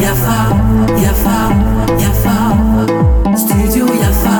Yafa, yafa, yafa, studio Yafa.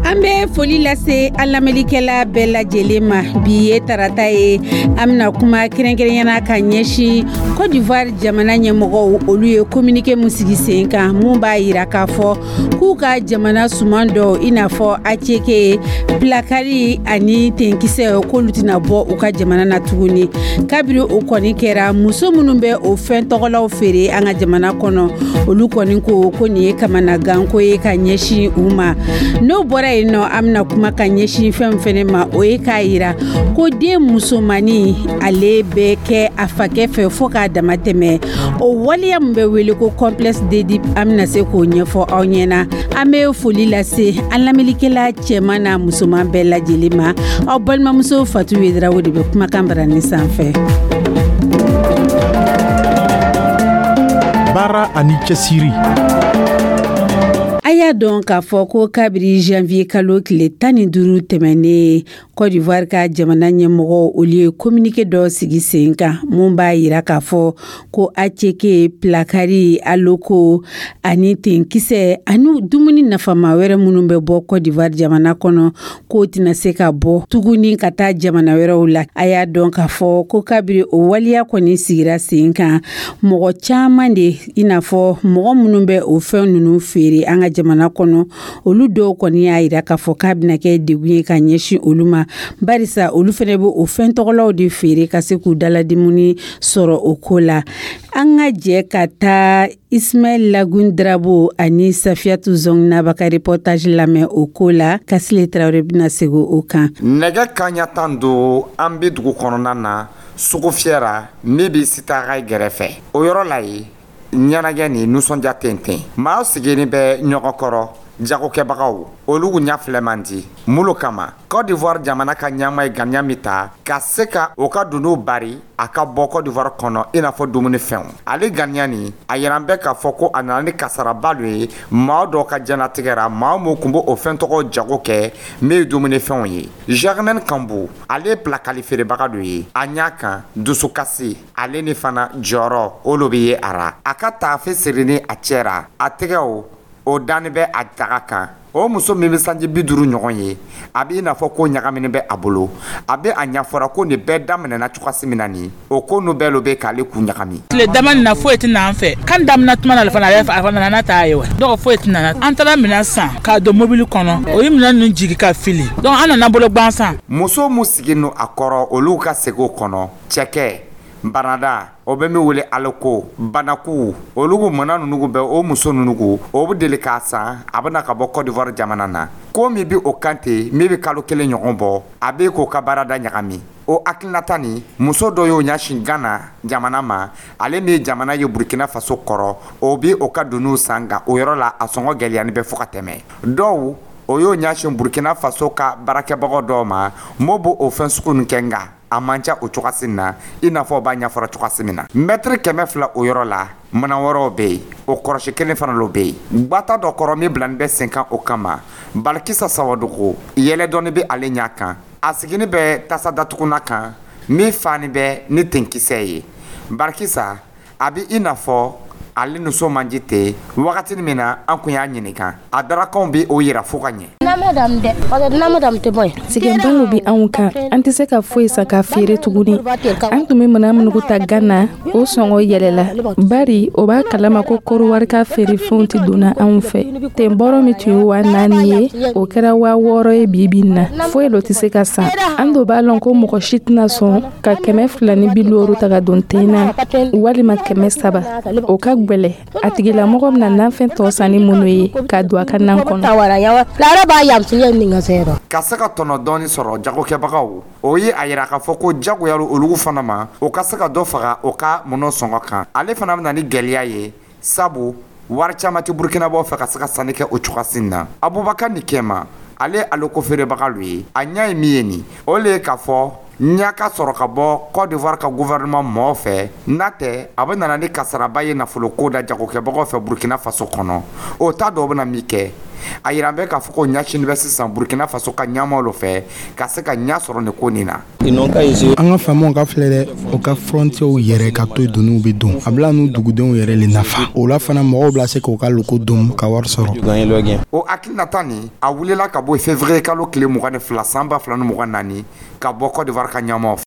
An bɛ foli lase an lamɛnlikɛla bɛɛ lajɛlen ma. Bi ye tarata ye, an bɛna kuma kɛrɛnkɛrɛnyana ka ɲɛsin Côte d'Ivoire jamana ɲɛmɔgɔw, olu ye communiqué mun sigi sen kan, mun b'a yira k'a fɔ k'u ka jamana suman dɔw, i n'a fɔ attiéké, pilakali ani tenkisɛ, k'olu tɛna bɔ u ka jamana na tuguni. Kabiri o kɔni kɛra, muso minnu bɛ o fɛn tɔgɔlaw feere an ka jamana kɔnɔ, olu kɔni ko ko nin ye kamanaganko ye ka ɲɛsin u ma. N'o bɔra yen nɔ, an bɛna kuma ka ɲɛsin fɛn fɛnɛ ma, o ye k'a yira ko den musomannin, ale bɛ kɛ a fakɛ fɛ fo k'a dama tɛmɛ. O waleya min bɛ wele ko complexe d'Oedipe, an bɛna se k'o ɲɛfɔ aw ɲɛna. An bɛ foli lase an lamɛnnikɛla cɛman n'a musoman bɛɛ lajɛlen ma. Aw balimamuso Fatu Wedarawo de bɛ kumakan barani sanfɛ. Baara ani cɛsiri. A y'a dɔn k'a fɔ ko kabiri janvier kalo tile 15 tɛmɛnen, Côte d'Ivoire ka jamana ɲɛmɔgɔ, olu ye communiqué dɔ sigi sen kan, mun b'a yira k'a fɔ ko attiéké, pilakari, aloko ani tenkisɛ ani dumuni nafama wɛrɛ minnu bɛ bɔ Côte d'Ivoire jamana kɔnɔ, k'o tɛna se ka bɔ tuguni ka taa jamana wɛrɛw la. A y'a dɔn k'a fɔ ko kabiri o waleya kɔni sigira sen kan, mɔgɔ caman de, i n'a fɔ mɔgɔ minnu bɛ o fɛn ninnu feere an ka jamana kɔnɔ, olu dɔw kɔni y'a yira k'a fɔ k'a bɛna kɛ degun ye ka ɲɛsin olu ma, barisa olu fɛnɛ bɛ o fɛn tɔgɔlaw de feere ka se k'u daladimuni sɔrɔ o ko la. An ka jɛ ka taa Ismaɛl Lagun Drabo ani Safiyatu Zɔngnaba ka reportage lamɛn o ko la. Kasile Tarawele bɛna segin o kan. Nɛgɛ kaɲa 15, an bɛ dugu kɔnɔna na, sugu fiyɛra min bɛ sitara gɛrɛfɛ. O yɔrɔ la yen, ɲɛnajɛ ni nisɔndiya tenten, maa sigilen bɛ ɲɔgɔn kɔrɔ. Jagokɛbagaw, olu ɲɛ filɛ man di mulu kama. Côte d'Ivoire jamana ka ɲɛma ye ganiya min ta ka se ka o ka dunun bari a ka bɔ Côte d'Ivoire kɔnɔ, i n'a fɔ dumunifɛnw, ale ganiya nin, a yɛrɛ bɛ k'a fɔ ko a nana ni kasaraba dɔ ye maa dɔw ka diɲɛlatigɛ ra. Maa mun tun b'o fɛn tɔgɔ jago kɛ min ye dumunifɛnw ye. Germaine Kanbu, ale ye pilakali feerebaga dɔ ye. A ɲa kan, dusukasi ale ni fana jɔyɔrɔ, olu bɛ ye a ra. A ka taafe sirilen a cɛ ra, a tɛgɛw o dani bɛ a daga kan. O muso min bɛ sanji 50 ɲɔgɔn ye, a b'i n'a fɔ ko ɲagamini bɛ a bolo. A bɛ a ɲɛfɔra ko nin bɛɛ daminɛna cogoya min na, nin o ko nu bɛɛ lo bɛ k'ale kun ɲagami. Tile dama nin na, foyi tɛ na an fɛ. Kan daminɛ tuma na fana, a fana nana taa ye wa. Donc foyi tɛ nana. An taara minɛn san k'a don mobili kɔnɔ, o ye minɛn ninnu jigi ka fili, donc an nana bolo gansan. Muso mun sigi no a kɔrɔ, olu ka segin o kɔnɔ, cɛkɛ banada, o bɛ min wele aloko, banaku, olu mana ninnu bɛ o muso ninnu, o bɛ deli k'a san, a bɛna ka bɔ Côte d'Ivoire jamana na. Ko min bɛ o kan ten, min bɛ kalo 1 ɲɔgɔn bɔ, a bɛ k'o ka baarada ɲagami. O hakilinata nin, muso dɔ y'o ɲɛsin Gana jamana ma, ale min ye jamana ye Burkina Faso kɔrɔ, o bɛ o ka dunun san, nka o yɔrɔ la, a sɔngɔ gɛlɛyani bɛ fo ka tɛmɛ dɔw. O y'o ɲɛsin Burkina Faso ka baarakɛbagaw dɔw ma, m'o b'o o fɛn sugu nin kɛ, nka a man ca o cogoya na, i n'a fɔ o b'a ɲɛfɔra cogoya min na. Mɛtiri 200 o yɔrɔ la, mana wɛrɛw bɛ yen, o kɔrɔsi kelen fana lo bɛ yen gbata dɔ kɔrɔ min bilani bɛ sen kan o kama. Balikisa Sawadogo, yɛlɛ dɔɔni bɛ ale ɲɛ kan. A sigini bɛ tasa datuguna kan min fani bɛ ni tenkisɛ ye. Balikisa, a bɛ i n'a fɔ ale nisɔn man di ten. Wagati min na an kun y'a ɲininka, a darakanw bɛ o yira fo ka ɲɛ. Sɛgɛnba bɛ anw kan, an tɛ se ka foyi san ka feere tuguni. An tun bɛ minɛn minnu ta Gana, o sɔngɔ yɛlɛla, bari o b'a kalama ko Kɔdiwari ka feerefɛnw tɛ donna anw fɛ. Ten bɔrɔ min tun ye 4000 ye, o kɛra 6000 ye. Bi bi in na, foyi lo tɛ se ka san. An do b'a lɔn ko mɔgɔ si tɛna sɔn ka 250 ta ka don ten na, walima 300. O ka gwɛlɛ. A tigilamɔgɔ bɛna nafɛn tɔ san ni minnu ye ka don a ka nan kɔnɔ. Ka se ka tɔnɔ dɔɔni sɔrɔ, jagokɛbagaw, o ye a yira k'a fɔ ko jagoya olu fana ma, o ka se ka dɔ faga o ka mɔnɔ sɔngɔ kan. Ale fana bɛ na ni gɛlɛya ye, sabu wari caman tɛ Burukinabaw fɛ ka se ka sanni kɛ o cogoya na. Abubakar ni Kɛma, ale aloko feerebaga ye, a ɲɛ ye min ye nin, o le ye k'a fɔ Ɲa ka sɔrɔ ka bɔ Côte d'Ivoire ka gouvernement mɔgɔw fɛ, n'a tɛ a bɛ nana ni kasaraba ye nafoloko da jagokɛbagaw fɛ Burkina Faso kɔnɔ. O t'a dɔn o bɛna min kɛ. A yira bɛ k'a fɔ ko ɲɛsini bɛ sisan Burkina Faso ka ɲɛmaaw fɛ ka se ka ɲɛ sɔrɔ nin ko nin na. An ka faamaw ka filɛ dɛ, o ka frontières yɛrɛ ka to doniw bɛ don, a bila n'u dugudenw yɛrɛ le nafa. O la fana, mɔgɔw bila se k'u ka loko dun ka wari sɔrɔ. O hakilinata nin, a wulila ka bɔ février kalo tile 22 san 2024 ka bɔ Côte d'Ivoire ka ɲɛmaaw fɛ.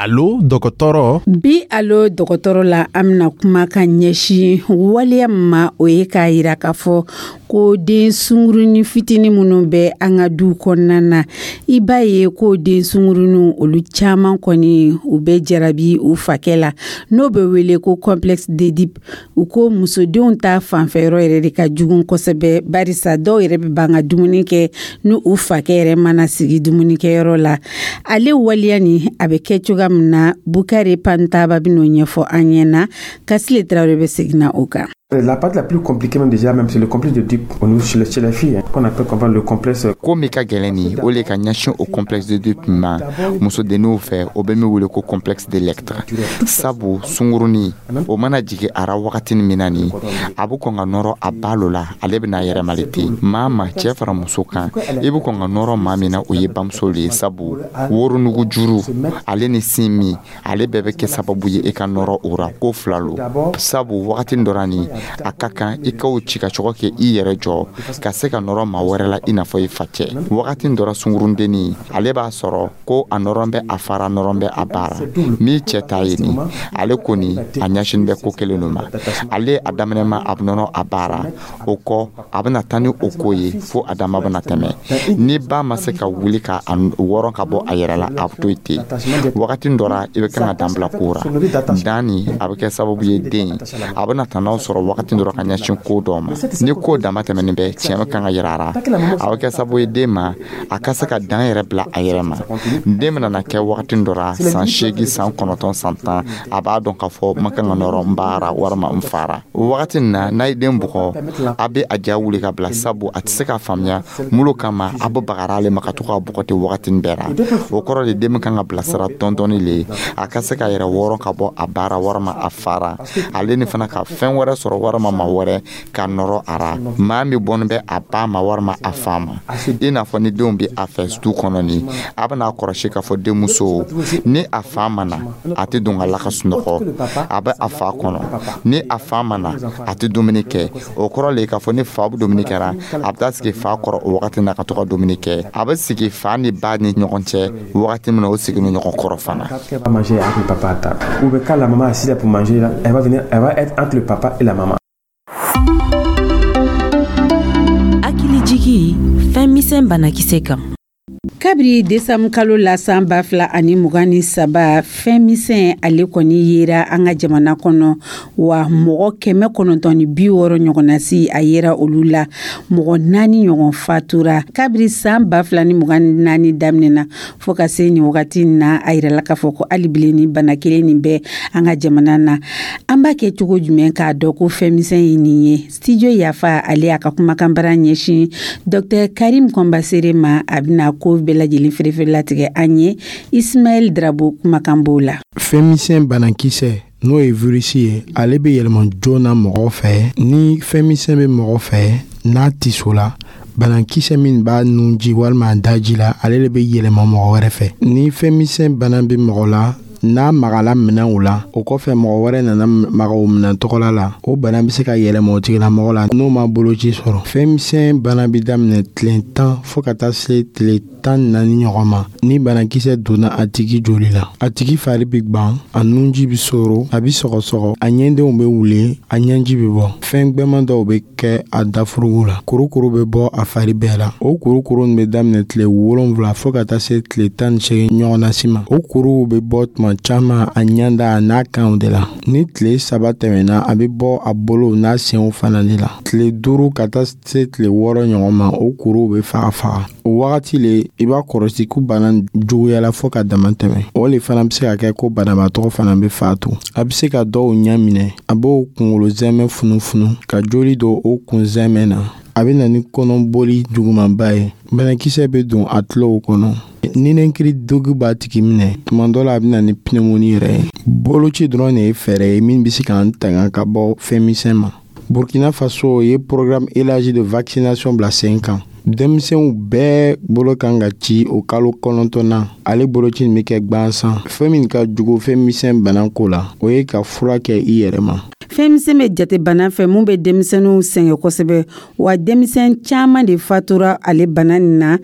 Alo dɔgɔtɔrɔ. Bi Alo dɔgɔtɔrɔ la, an bɛna kuma ka ɲɛsin waleya ma, o ye k'a yira k'a fɔ ko den sungurunin fitinin minnu bɛ an ka du kɔnɔna na, i b'a ye ko den sunguruninw, olu caman kɔni, u bɛ jarabi u fakɛ la, n'o bɛ wele ko complexe d'Oedipe. U ko musodenw ta fanfɛyɔrɔ yɛrɛ de ka jugu kosɛbɛ, barisa dɔw yɛrɛ bɛ ban ka dumuni kɛ ni u fakɛ yɛrɛ mana sigi dumunikɛyɔrɔ la. Ale waleya nin, a bɛ kɛ cogoya min na, Bukari Pantaba bɛn'o ɲɛfɔ an ɲɛna. Kasile Tarawele bɛ segin na o kan. La partie la plus compliquée même déjà, même c'est le complexe d'Oedipe au niveau chez les filles, hein, qu'on appelle comprendre le complexe. Ko min ka gɛlɛn nin, o le ka ɲɛsin o complexe d'Oedipe ma musodenninw fɛ, o bɛ min wele ko complexe d'Électre. Sabu sungurunin o mana jigin a ra wagatinin min na nin, a bɛ kɔn ka nɔrɔ a ba lo la, ale bɛna yɛrɛmali ten. Maa ma cɛ fara muso kan, i bɛ kɔn ka nɔrɔ maa min na, o ye bamuso le ye. Sabu woronugu juru ale ni sin min, ale bɛɛ bɛ kɛ sababu ye i ka nɔrɔ o ra. Ko fila lo, sabu wagatinin dɔ la nin, a ka kan i k'o ci ka cogo kɛ i yɛrɛ jɔ ka se ka nɔrɔ maa wɛrɛ la, i n'a fɔ i facɛ. Wagati dɔ la, sunkurundennin ale b'a sɔrɔ ko a nɔrɔ bɛ a fara, nɔrɔ bɛ a baara min cɛ t'a ye nin. Ale kɔni a ɲɛsin bɛ ko kelen ma. Ale a daminɛ ma, a bɛ nɔrɔ a baara, o kɔ a bɛna taa ni o ko ye fo a dama bɛna tɛmɛ. Ni ba ma se ka wuli ka a wɔrɔ ka bɔ a yɛrɛ la, a bɛ to yen ten. Wagati dɔ la, i bɛ kan ka dan bila ko ra dan nin, a bɛ kɛ sababu ye den a bɛna tanaw sɔrɔ wagati dɔrɔn ka ɲɛsin ko dɔ ma. Ni ko dama tɛmɛnen bɛ, tiɲɛ kan ka yira a la, a bɛ kɛ sababu ye den ma a ka se ka dan yɛrɛ bila a yɛrɛ ma. Den bɛna na kɛ wagati dɔ la, san 8, san 9, san 10, a b'a dɔn k'a fɔ n ma kan ka nɔrɔ n baara walima n fara. O wagati nin na, n'a ye den bugɔ, a bɛ a ja wuli ka bila, sabu a tɛ se ka faamuya mulu kama a bɛ bagara ale ma ka to k'a bugɔ ten wagati bɛɛ la. O kɔrɔ de, den bɛ kan ka bilasira dɔɔni le, a ka se ka yɛrɛ wɔrɔ ka bɔ a baara walima a fara, ale ni fana ka fɛn wɛrɛ sɔrɔ walima maa wɛrɛ ka nɔrɔ a ra, maa min bɔnnen bɛ a ba ma walima a fa ma. I n'a fɔ ni denw bɛ a fɛ du kɔnɔ nin, a bɛna kɔlɔsi k'a fɔ denmuso ni a fa ma na, a tɛ don ka la ka sunɔgɔ, a bɛ a fa kɔnɔ. Ni a fa ma na, a tɛ dumuni kɛ. O kɔrɔ le k'a fɔ ni fa bɛ dumuni kɛra, a bɛ taa sigi fa kɔrɔ o wagati na ka to ka dumuni kɛ. A bɛ sigi fa ni ba ni ɲɔgɔn cɛ wagati min na, o sigi ni ɲɔgɔn kɔrɔ fana. Manger avec le papa à table. Ou bien quand la maman est assise pour manger, elle va venir, elle va être entre le papa et la maman. Hakilijigi fɛn misɛn banakisɛ kan. Kabiri desanburu kalo la san 2023, fɛn misɛn ale kɔni yera an ka jamana kɔnɔ wa, mɔgɔ 960 ɲɔgɔnna si a yera olu la, mɔgɔ 4 ɲɔgɔn fatura. Kabiri san 2024 daminɛna fo ka se nin wagati na, a yirala k'a fɔ ko hali bilen ni bana kelen nin bɛ an ka jamana na. An b'a kɛ cogo jumɛn k'a dɔn ko fɛn misɛn ye nin ye? Studio Yafa ale y'a ka kumakanbara ɲɛsin Dr Karim Kɔnbasere ma. A bɛna ko bɛɛ lajɛlen feerefeere latigɛ an ye. Ismaël Drabo kumakan b'o la. Fɛn misɛn banakisɛ, n'o ye virisi ye, ale bɛ yɛlɛma joona mɔgɔ fɛ. Ni fɛn misɛn bɛ mɔgɔ fɛ, n'a tiso la, banakisɛ min b'a nunji walima a daji la, ale de bɛ yɛlɛma mɔgɔ wɛrɛ fɛ. Ni fɛn misɛn bana bɛ mɔgɔ la, n'a magala minɛnw la, o kɔfɛ mɔgɔ wɛrɛ nana maga o minɛn tɔgɔla la, o bana bɛ se ka yɛlɛma o tigilamɔgɔ la n'o ma boloci sɔrɔ. Fɛn misɛn bana bɛ daminɛ tile 10 fo ka taa se tile 14 ɲɔgɔn ma. Ni banakisɛ donna a tigi joli la, a tigi fari bɛ gwan, a nunji bɛ soro, a bɛ sɔgɔsɔgɔ, a ɲɛdenw bɛ wuli, a ɲɛji bɛ bɔ, fɛn gbɛman dɔw bɛ kɛ a dafurugu la, kurukuru bɛ bɔ a fari bɛɛ la. O kurukuru bɛ daminɛ tile 7 fo ka taa se tile 18 ɲɔgɔnna si ma. O kuruw bɛ bɔ tuma caman a ɲɛda a n'a kanw de la. Ni tile 3 tɛmɛna, a bɛ bɔ a bolow n'a senw fana de la. Tile 5 ka taa se tile 6 ɲɔgɔn ma, o kuruw bɛ faga faga. O wagati le i b'a kɔlɔsi ko bana juguyala fo ka dama tɛmɛ. O le fana bɛ se ka kɛ ko banabaatɔ fana bɛ faatu. A bɛ se ka dɔw ɲɛ minɛ, a b'o kunkolo zɛmɛ funufunu ka joli don o kun zɛmɛ na. A bɛ na ni kɔnɔboli jugumanba ye. Banakisɛ bɛ don a tulow kɔnɔ. Ninakili degun b'a tigi minɛ. Tuma dɔ la, a bɛ na ni pneumonie yɛrɛ ye. Boloci dɔrɔn de ye fɛɛrɛ ye min bɛ se k'an tanga ka bɔ fɛn misɛn ma. Burkina Faso ye programme élargi de vaccination bila sen kan. Denmisɛnw bɛɛ bolo kan ka ci o kalo 9nan. Ale boloci nin bɛ kɛ gwansan. Fɛn min ka jugu fɛn misɛn bana ko la, o ye ka fura kɛ i yɛrɛ ma. Fɛn misɛn bɛ jate bana fɛ mun bɛ denmisɛnninw sɛgɛn kosɛbɛ, wa denmisɛn caman de fatura ale bana nin na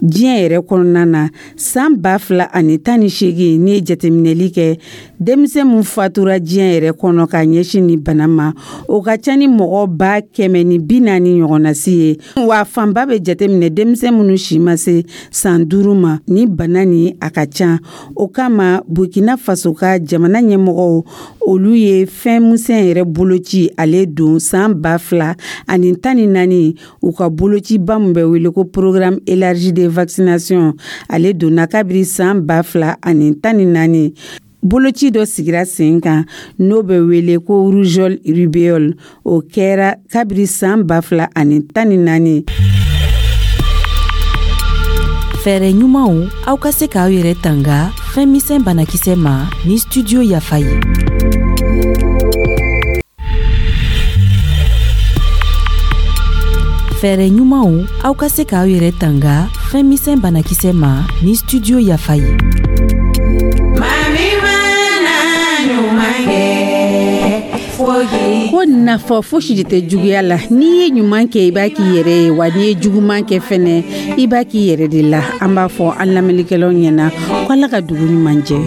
diɲɛ yɛrɛ kɔnɔna na. San 2018, n'i ye jateminɛli kɛ, denmisɛn mun fatura diɲɛ yɛrɛ kɔnɔ ka ɲɛsin ni bana ma, o ka ca ni mɔgɔ 140,000 ɲɔgɔnna si ye, wa fanba bɛ jateminɛ denmisɛn minnu si ma se san 5 ma. Ni bana nin a ka ca, o kama Burkina Faso ka jamana ɲɛmɔgɔw, olu ye fɛn misɛn yɛrɛ boloci ale don san 2014. U ka bolociba min bɛ wele ko programme élargi de vaccination, ale donna kabiri san 2014. Boloci dɔ sigira sen kan n'o bɛ wele ko rougeole rubéole, o kɛra kabiri san 2014. Fɛɛrɛ ɲumanw aw ka se k'aw yɛrɛ tanga fɛn misɛn banakisɛ ma ni Studio Yafa ye. Fɛɛrɛ ɲumanw aw ka se k'aw yɛrɛ tanga fɛn misɛn banakisɛ ma ni Studio Yafa ye. Ko nafa fosi de tɛ juguya la. N'i ye ɲuman kɛ, i b'a k'i yɛrɛ ye, wa n'i ye juguman kɛ fɛnɛ, i b'a k'i yɛrɛ de la. An b'a fɔ an lamɛnnikɛlaw ɲɛna ko Ala ka dugu ɲuman jɛ.